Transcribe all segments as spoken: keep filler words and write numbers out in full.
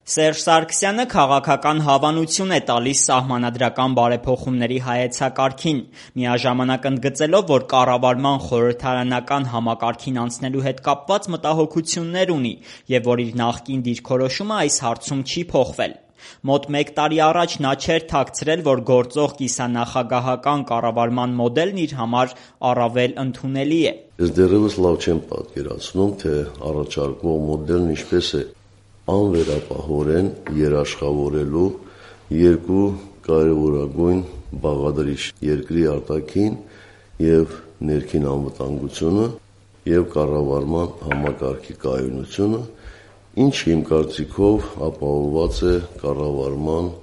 Սերժ Սարգսյանը քաղաքական հավանություն է տալիս սահմանադրական բարեփոխումների հայեցակարգին, միաժամանակ ընդգծելով, որ կառավարման խորհրդարանական համակարգին անցնելու հետ կապված մտահոգություններ ունի և որ իր նախկին դիրքորոշումը այս հարցում չի փոխվել։ Մոտ մեկ տարի առաջ նա չէր թաքցրել, որ գործող կիսանախագահական կառավարման մոդելն իր համար առավել ընդունելի է։ Ես դեռևս լավ չեմ պատկերացնում, թե առաջարկվող մոդելն ինչպես է անվերապահորեն երաշխավորելու երկու կարևորագույն բաղադրիչ՝ երկրի արտաքին և ներքին անվտանգությունը և կառավարման համակարգի կայունությունը, ինչը իմ կարծիքով ապահովված է կառավարման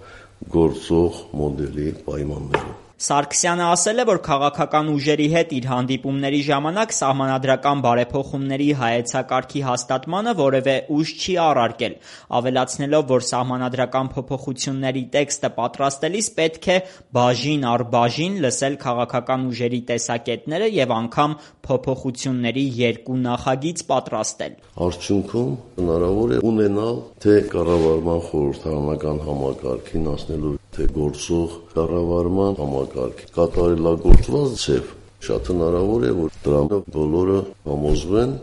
գործող մոդելի պայմաններում։ Սարգսյանը ասել է, որ քաղաքական ուժերի հետ իր հանդիպումների ժամանակ սահմանադրական բարեփոխումների հայեցակարգի հաստատմանը որևէ ուժ չի առարկել, ավելացնելով, որ սահմանադրական փոփոխությունների տեքստը պատրաստելիս պետք է բաժին առ բաժին լսել քաղաքական ուժերի տեսակետները և անգամ փոփոխությունների երկու նախագիծ պատրաստել։ Արդյունքում հնարավոր է ունենալ թե կառավարման խորհրդարանական համակարգին անցնելու, թե գործող կառավարման համակարգի կատարելագործված ձև, շատ հնարավոր է, որ դրանով բոլորը համոզվեն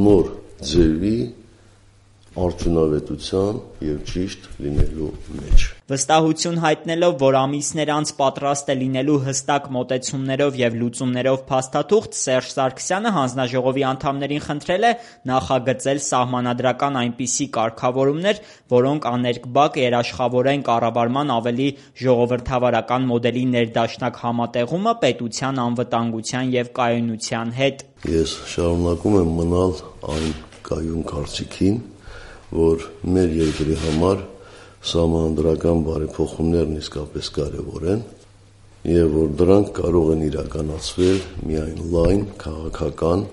նոր ձևի արդյունավետության և ճիշտ լինելու մեջ։ Վստահություն հայտնելով, որ ամիսներ անց պատրաստ է լինելու հստակ մոտեցումներով և լուծումներով փաստաթուղթ, Սերժ Սարգսյանը հանձնաժողովի անդամներին խնդրել է նախագծել սահմանադրական այնպիսի կարգավորումներ, որոնք աներկբակ երաշխավորեն կառավարման ավելի ժողովրդավարական մոդելի ներդաշնակ համատեղումը պետության անվտանգության և կայունության հետ։ Ես շարունակում եմ մնալ այն կայուն կարծիքին, որ մեր երկրի համար սահմանադրական բարեփոխումներն իսկապես կարևոր են և որ դրանք կարող են իրականացվել միայն լայն քաղաքական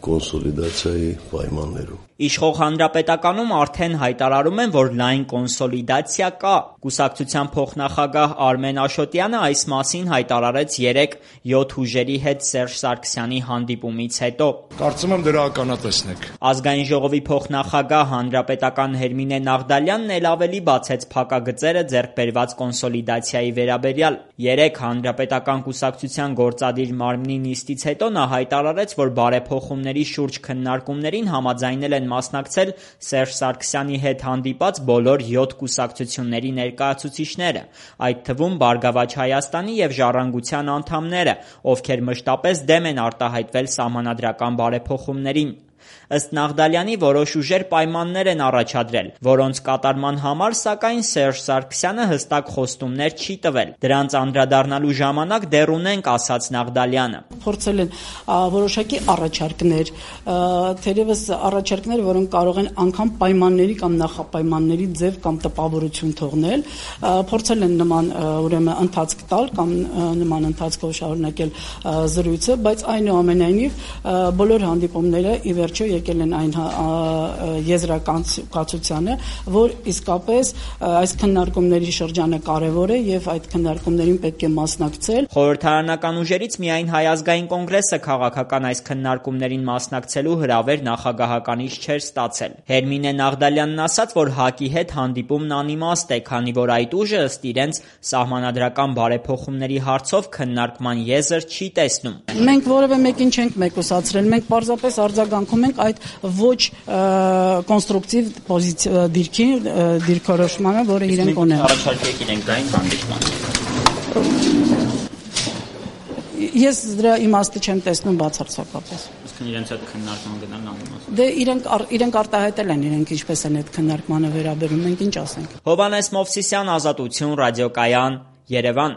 կոնսոլիդացիայի պայմաններում։ Իշխող Հանրապետականում արդեն հայտարարում են, որ լայն կոնսոլիդացիա կա։ Կուսակցության փոխնախագահ Արմեն Աշոտյանը այս մասին հայտարարեց երեկ յոթ ուժերի հետ Սերժ Սարգսյանի հանդիպումից հետո։ Կարծում եմ դրա ականատեսն եք։ Ազգային ժողովի փոխնախագահ հանրապետական Հերմինե Նաղդալյանն էլ ավելի բացեց փակագծերը ձեռք բերված կոնսոլիդացիայի վերաբերյալ։ Երեկ Հանրապետական կուսակցության գործադիր մարմնի նիստից հետո նա հայտարարեց, որ բարեփոխումների շուրջ քննարկումներին համաձայնել են մասնակցել Սերժ Սարգսյանի հետ հանդիպած բոլոր յոթ կուսակցությունների ներկայացուցիչները, այդ թվում Բարգավաճ Հայաստանի և Ժառանգության անդամները, ովքեր մշտապես դեմ են արտահայտվել սահմանադրական բարեփոխումներին։ Ըստ Նաղդալյանի, որոշ ուժեր պայմաններ են առաջադրել, որոնց կատարման համար, սակայն, Սերժ Սարգսյանը հստակ խոստումներ չի տվել։ Դրանց անդրադառնալու ժամանակ դեռ ունենք, ասաց Նաղդալյանը։ Փորձել են որոշակի առաջարկներ, թերևս առաջարկներ, որոնք կարող են անգամ պայմանների կամ նախապայմանների ձև կամ տպավորություն թողնել, փորձել են նման ուրեմն ընթացք տալ կամ նման ընթացքով շարունակել զրույցը, բայց այնուամենայնիվ բոլոր հանդիպումները ի վերջո եկել են այն եզրակացությանը, որ իսկապես այս քննարկումների շրջանը կարևոր է և այդ քննարկումներին պետք է մասնակցել։ Խորհրդարանական ուժերից միայն Հայ ազգային կոնգրեսը քաղաքական այս քննարկումներին մասնակցելու հրավեր նախագահականից չէր ստացել։ Հերմինե Նաղդալյանն ասաց, որ ՀԱԿ-ի հետ հանդիպումն անիմաստ է, քանի որ այդ ուժը ըստ իրենց սահմանադրական բարեփոխումների հարցով քննարկման եզր չի տեսնում։ Մենք որևէ մեկին չենք մեկուսացրել, մենք պարզապես արձագանքում ենք այդ ոչ կոնստրուկտիվ դիրքի դիրքորոշմանը, որը իրենք ունեն։ Առաջարկեք իրենք դա հանդիպման։ Ես դրա իմաստը չեմ տեսնում բացարձակապես։ Իսկ իրենց այդ քննարկման գնալն անիմաստ։ Դե իրենք իրենք արտահայտել են, իրենք ինչպես են այդ քննարկմանը վերաբերում, մենք ինչ ասենք։ Հովհաննես Մովսիսյան, Ազատություն, Ռադիոկայան, Երևան։